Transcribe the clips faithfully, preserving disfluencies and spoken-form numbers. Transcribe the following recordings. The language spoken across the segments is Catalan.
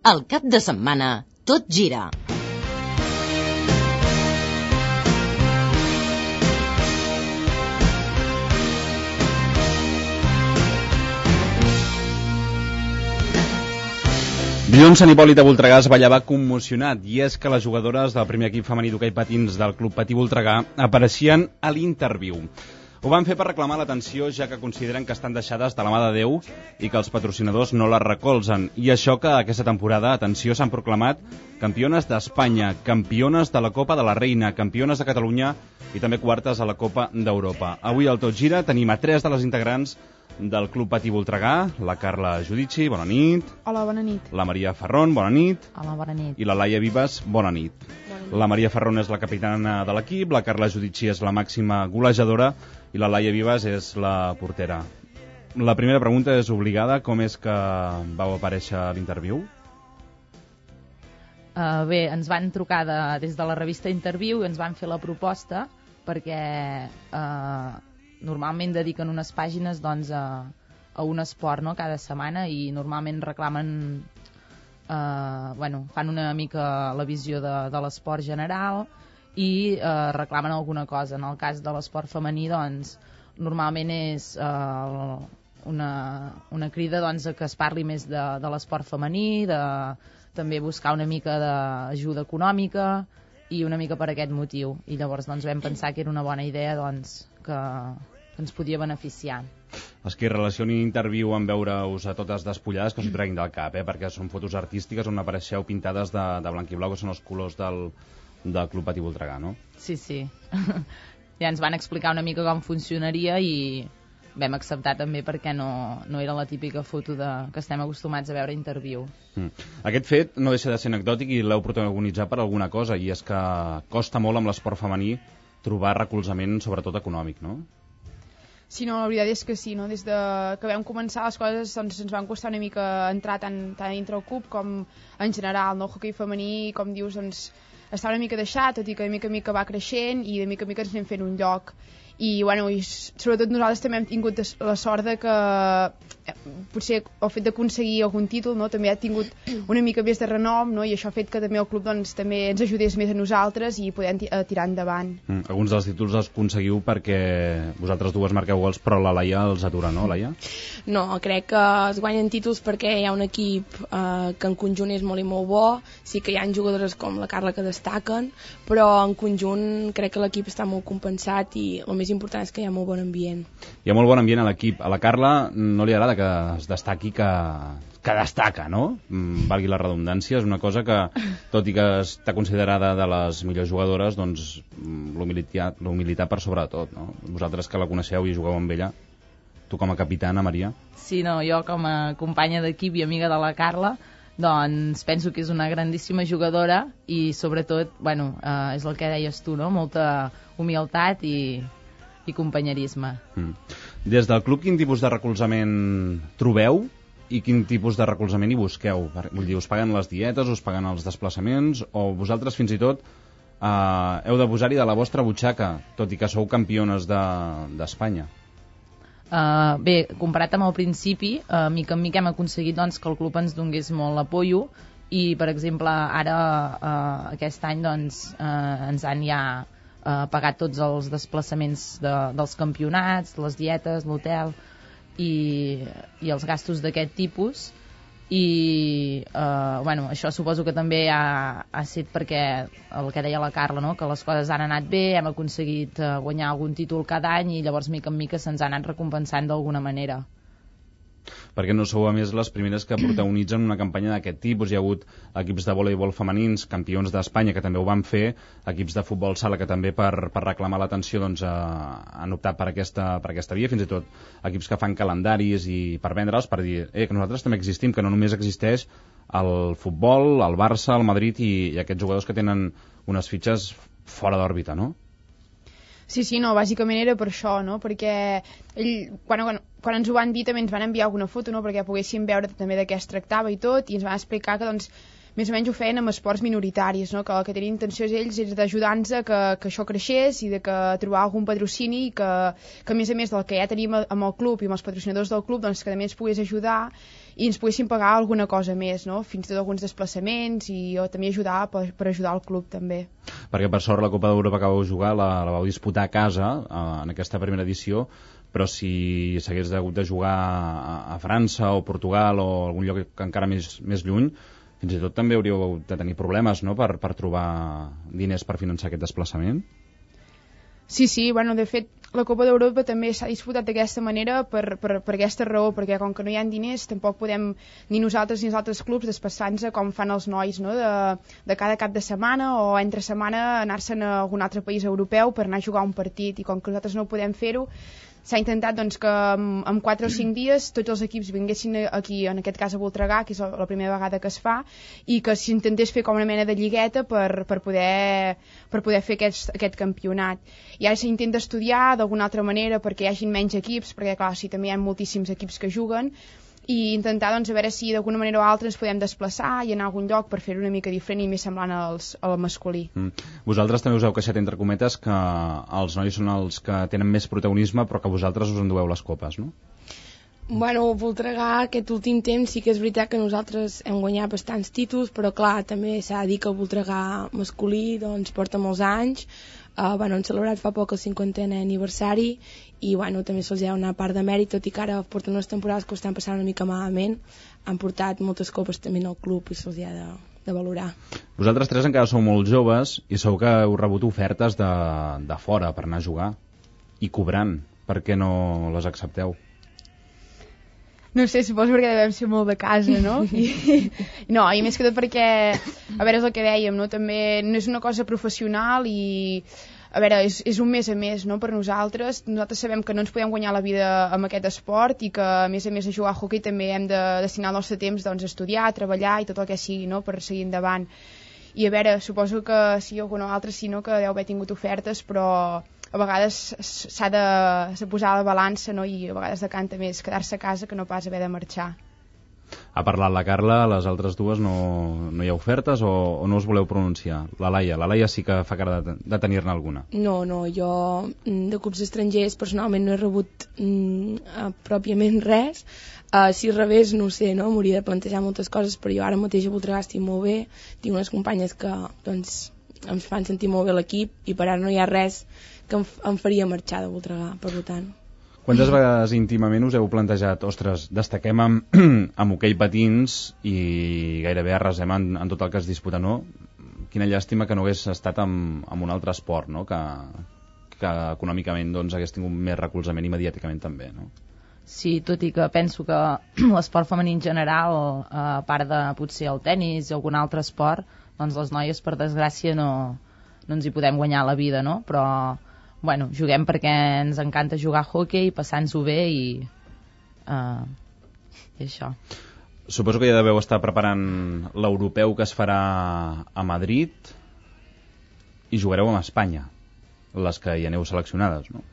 Al cap de setmana, tot gira. Dilluns, Sant Hipòlit de Voltregà es ballava commocionat, i és que les jugadores del primer equip femení d'hoquei patins del Club Patí Voltregà apareixien a l'Interviu. Ho van fer per reclamar l'atenció, ja que consideren que estan deixades de la mà de Déu i que els patrocinadors no les recolzen. I això que aquesta temporada, atenció, s'han proclamat campiones d'Espanya, campiones de la Copa de la Reina, campiones de Catalunya i també quartes a la Copa d'Europa. Avui al Tot Gira tenim a tres de les integrants del Club Patí Voltregà, la Carla Judici, bona nit. Hola, bona nit. La Maria Ferron, bona nit. Hola, bona nit. I la Laia Vives, bona nit. Bona nit. La Maria Ferron és la capitana de l'equip, la Carla Judici és la màxima golejadora i la Laia Vives és la portera. La primera pregunta és obligada, com és que vau aparèixer a l'Interviu? Uh, bé, ens van trucar de, des de la revista Interviu i ens van fer la proposta perquè uh, normalment dediquen unes pàgines doncs, a, a un esport, no?, cada setmana, i normalment reclamen, eh, bueno, fan una mica la visió de, de l'esport general i eh, reclamen alguna cosa. En el cas de l'esport femení, doncs, normalment és eh, una, una crida doncs, a que es parli més de, de l'esport femení, de també buscar una mica d'ajuda econòmica i una mica per aquest motiu. I llavors doncs, vam pensar que era una bona idea doncs, que, que ens podia beneficiar. Els que relacionin Interviu amb veure-us a totes despullades, que us ho treguin del cap, eh? Perquè són fotos artístiques on apareixeu pintades de, de blanc i blau, que són els colors del, del Club Patí Voltregà, no? Sí, sí. Ja ens van explicar una mica com funcionaria i vam acceptar també perquè no, no era la típica foto de, que estem acostumats a veure a Interviu. Mm. Aquest fet no deixa de ser anecdòtic i l'heu protagonitzat per alguna cosa, i és que costa molt amb l'esport femení trobar recolzament, sobretot econòmic, no? Sí, no, la veritat és que sí, no? Des de que vam començar les coses doncs, ens van costar una mica entrar tant, tant dintre el club com en general, no? El hoquei femení, com dius, doncs, està una mica deixat, tot i que de mica a mica va creixent i de mica a mica ens anem fent un lloc. I, bueno, i sobretot nosaltres també hem tingut la sort de que eh, potser el fet d'aconseguir algun títol, no?, també ha tingut una mica més de renom, no?, i això ha fet que també el club doncs, també ens ajudés més a nosaltres i podem tirar endavant. Mm, alguns dels títols els aconseguiu perquè vosaltres dues marqueu gols, però la Laia els atura, no, Laia? No, crec que es guanyen títols perquè hi ha un equip eh, que en conjunt és molt i molt bo. Sí que hi ha jugadores com la Carla que destaquen, però en conjunt crec que l'equip està molt compensat i el més important és que hi ha molt bon ambient. Hi ha molt bon ambient a l'equip. A la Carla no li agrada que es destaqui que, que destaca, no? Mm, valgui la redundància, és una cosa que, tot i que està considerada de les millors jugadores, doncs l'humilitat, l'humilitat per sobre de tot, no? Vosaltres que la coneixeu i jugueu amb ella, tu com a capitana, Maria? Sí, no, jo com a companya d'equip i amiga de la Carla, doncs penso que és una grandíssima jugadora i sobretot, bueno, eh, és el que deies tu, no?, molta humilitat i i companyerisme. Mm. Des del club, quin tipus de recolzament trobeu i quin tipus de recolzament hi busqueu? Vull dir, us paguen les dietes, us paguen els desplaçaments, o vosaltres fins i tot eh, heu de posar-hi de la vostra butxaca, tot i que sou campiones d'Espanya? De, uh, bé, comparat amb el principi, uh, mica en mica hem aconseguit doncs, que el club ens donés molt l'apoyo i, per exemple, ara uh, aquest any doncs, uh, ens han ja Uh, pagat tots els desplaçaments de, dels campionats, les dietes, l'hotel i, i els gastos d'aquest tipus i uh, bueno, això suposo que també ha, ha estat perquè el que deia la Carla, no?, que les coses han anat bé, hem aconseguit uh, guanyar algun títol cada any i llavors mica en mica se'ns ha anat recompensant d'alguna manera. Perquè no sou a més les primeres que protagonitzen una campanya d'aquest tipus. Hi ha hagut equips de voleibol femenins, campions d'Espanya, que també ho van fer, equips de futbol sala que també per, per reclamar l'atenció doncs, eh, han optat per aquesta, per aquesta via, fins i tot equips que fan calendaris i per vendre'ls, per dir eh, que nosaltres també existim, que no només existeix el futbol, el Barça, el Madrid i, i aquests jugadors que tenen unes fitxes fora d'òrbita, no? Sí, sí, no, bàsicament era per això, no? Perquè ell, quan, quan, quan ens ho van dir també ens van enviar alguna foto, no?, perquè poguéssim veure també de què es tractava i tot, i ens van explicar que doncs més o menys ho feien amb esports minoritaris, no?, que el que tenien intenció ells és d'ajudar-nos a que, que això creixés i de que trobar algun patrocini i que, que a més a més del que ja tenim amb el club i amb els patrocinadors del club, doncs que també ens pogués ajudar i ens poguessin pagar alguna cosa més, no? Fins i tot alguns desplaçaments i o també ajudar per, per ajudar el club també. Perquè per sort la Copa d'Europa que vau jugar la, la vau disputar a casa eh, en aquesta primera edició, però si s'hagués hagut de jugar a, a França o Portugal o algun lloc que encara més, més lluny, fins i tot també hauríeu de tenir problemes, no?, per, per trobar diners per finançar aquest desplaçament. Sí, sí, bueno, de fet, la Copa d'Europa també s'ha disputat d'aquesta manera per, per, per aquesta raó, perquè com que no hi ha diners tampoc podem ni nosaltres ni els altres clubs desplaçar-nos com fan els nois, no?, de, de cada cap de setmana o entre setmana anar-se'n a algun altre país europeu per anar a jugar un partit, i com que nosaltres no podem fer-ho, s'ha intentat doncs, que en, en quatre o cinc dies tots els equips vinguessin aquí, en aquest cas a Voltregà, que és la primera vegada que es fa, i que s'intentés fer com una mena de lligueta per, per, poder, per poder fer aquest, aquest campionat. I ara s'intenta estudiar d'alguna altra manera perquè hi hagin menys equips, perquè clar, sí, també hi ha moltíssims equips que juguen, i intentar doncs, a veure si d'alguna manera o altra ens podem desplaçar i anar a algun lloc per fer-ho una mica diferent i més semblant als, al masculí. Mm. Vosaltres també us heu queixat, entre cometes, que els nois són els que tenen més protagonisme però que vosaltres us endueu les copes, no? Bueno, Voltregà aquest últim temps sí que és veritat que nosaltres hem guanyat bastants títols, però clar, també s'ha de dir que el Voltregà masculí doncs, porta molts anys. Uh, bueno, han celebrat fa poc el cinquantè aniversari i bueno, també se'ls ha una part de mèrit, tot i que ara porten unes temporades que ho estan passant una mica malament, han portat moltes copes també al club i se'ls ha de, de valorar. Vosaltres tres encara sou molt joves i segur que heu rebut ofertes de, de fora per anar a jugar i cobrant. Per què no les accepteu? No sé, suposo perquè devem ser molt de casa, no? I, no, i més que tot perquè, a veure, és el que dèiem, no? També no és una cosa professional i, a veure, és, és un mes a més, no?, per nosaltres. Nosaltres sabem que no ens podem guanyar la vida amb aquest esport i que, a més a més, a jugar a hoquei també hem de destinar el nostre temps doncs, a estudiar, a treballar i tot el que sigui, no?, per seguir endavant. I, a veure, suposo que sí, algun altre sí, no?, que deu haver tingut ofertes, però a vegades s'ha de, de posar a la balança, no?, i a vegades decanta més quedar-se a casa que no pas haver de marxar. Ha parlat la Carla, les altres dues no, no hi ha ofertes o, o no us voleu pronunciar? La Laia, la Laia sí que fa cara de, de tenir-ne alguna. No, no, jo de clubs estrangers personalment no he rebut mm, pròpiament res. Uh, si rebés, no sé, no? M'hauria de plantejar moltes coses, però jo ara mateix a Voltregà estic molt bé, tinc unes companyes que doncs, em fan sentir molt bé l'equip i per ara no hi ha res que em, em faria marxar de Voltregà, per tant. Quantes vegades íntimament us heu plantejat, ostres, destaquem amb, amb hoquei patins i gairebé arrasem en, en tot el que es disputa, no? Quina llàstima que no hagués estat amb, amb un altre esport, no?, que, que econòmicament doncs, hagués tingut més recolzament i mediàticament també, no? Sí, tot i que penso que l'esport femení en general, a part de potser el tennis o algun altre esport, doncs les noies, per desgràcia, no, no ens hi podem guanyar la vida, no? Però, bueno, juguem perquè ens encanta jugar a hoquei, passar-nos-ho bé i, uh, i això. Suposo que ja deveu estar preparant l'europeu que es farà a Madrid i jugareu amb Espanya, les que hi aneu seleccionades, no?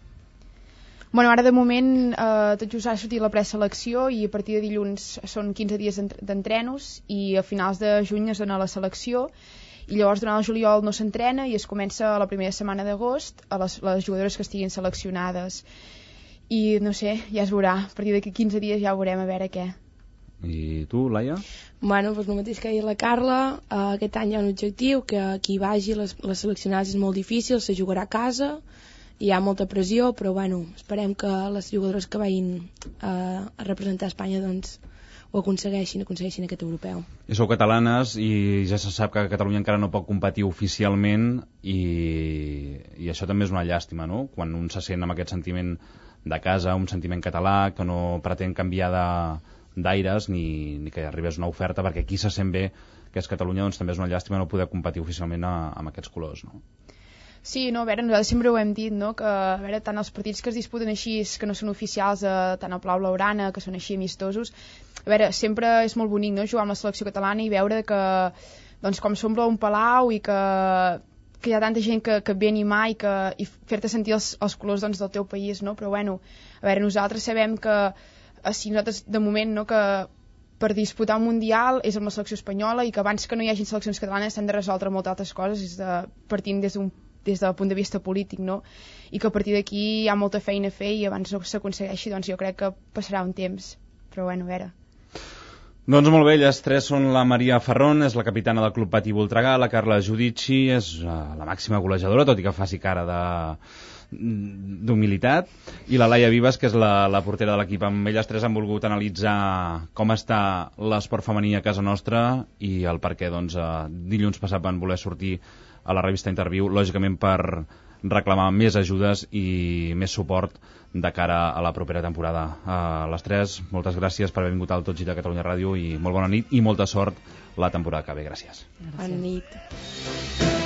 Bueno, ara de moment eh, tot just ha sortit la preselecció i a partir de dilluns són quinze dies d'entrenos i a finals de juny es dona la selecció i llavors durant el juliol no s'entrena i es comença la primera setmana d'agost a les, les jugadores que estiguin seleccionades i no sé, ja es veurà, a partir d'aquí quinze dies ja veurem a veure què. I tu, Laia? Bueno, doncs el mateix que ha dit la Carla, eh, aquest any hi ha un objectiu que qui vagi les, les seleccionades és molt difícil, se jugarà a casa, hi ha molta pressió, però bueno, esperem que les jugadores que vagin eh, a representar Espanya doncs ho aconsegueixin, aconsegueixin aquest europeu. I sou catalanes i ja se sap que Catalunya encara no pot competir oficialment i, i això també és una llàstima, no? Quan un se sent amb aquest sentiment de casa, un sentiment català, que no pretén canviar de, d'aires ni, ni que arribés una oferta, perquè aquí se sent bé que és Catalunya, doncs també és una llàstima no poder competir oficialment a, amb aquests colors, no? Sí, no, a veure, nosaltres sempre ho hem dit, no?, que a veure, tant els partits que es disputen així, que no són oficials, eh, tant el Palau Blaugrana, que són així amistosos, a veure, sempre és molt bonic, no?, jugar amb la selecció catalana i veure que, doncs, com s'omple un palau i que, que hi ha tanta gent que, que ve a animar i, que, i fer-te sentir els, els colors, doncs, del teu país, no?, però, bueno, a veure, nosaltres sabem que, si nosaltres, de moment, no?, que per disputar un mundial és amb la selecció espanyola i que abans que no hi hagi seleccions catalanes s'han de resoldre moltes altres coses, és de, partint des d'un des del punt de vista polític, no? I que a partir d'aquí hi ha molta feina a fer i abans no s'aconsegueixi, doncs jo crec que passarà un temps. Però bueno, a veure. Doncs molt bé, elles tres són la Maria Ferrón, és la capitana del Club Patí Voltregà, la Carla Giudici és uh, la màxima golejadora, tot i que faci cara de d'humilitat, i la Laia Vives, que és la, la portera de l'equip. Amb elles tres han volgut analitzar com està l'esport femení a casa nostra i el perquè doncs, uh, dilluns passat van voler sortir a la revista Interviu, lògicament per reclamar més ajudes i més suport de cara a la propera temporada. A les tres, moltes gràcies per haver vingut al Tot Gira Catalunya Ràdio i molt bona nit i molta sort la temporada que ve. Gràcies. Bona nit.